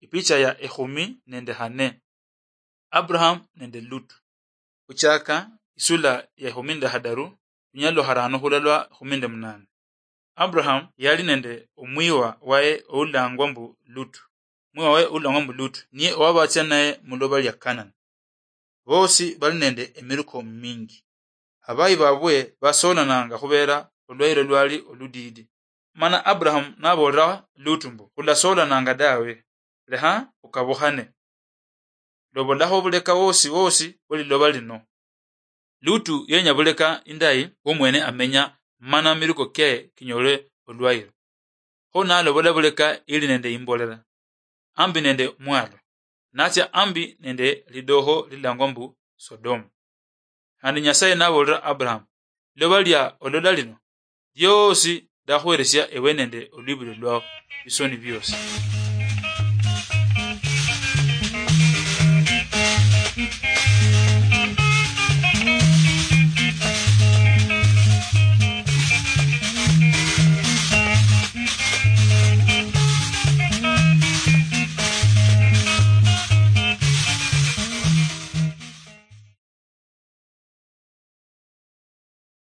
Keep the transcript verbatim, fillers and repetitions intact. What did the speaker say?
Picha ya ekhumi nende hane. Abraham nende Lutu. Khuchaka isula ya ekhumi nende hadaru, lunyalo lwa harano khula lwa ekhumi nende munane. Abraham yali nende omwiwa waye oulangwa mbu Lutu. Omwiwa waye oulangwa mbu Lutu niye owabatsia naye muloba lia Kanani. Bosi bali nende emiruko mingi. Abayi babwe basolananga khubera olwayilo lwali oludidi. Mana Abraham nabolera Lutu mbu, "Khulasolananga dawe, leha ukabukhane. Lobolakho buleka wosi wosi bwe liloba lino." Lutu yenya buleka indayi omwene amenya, mana miruko ke kinyole olwayilo. Kho nalobola buleka ili nende imbolela, ambi nende mwalo, natsia ambi nende lidoho lilangwa mbu Sodomu. Khandi Nyasaye nabolera Abraham, "Liloba lia olola lino liosi ndakhuheresia ewe nende olwibulio lwao bisoni biosi."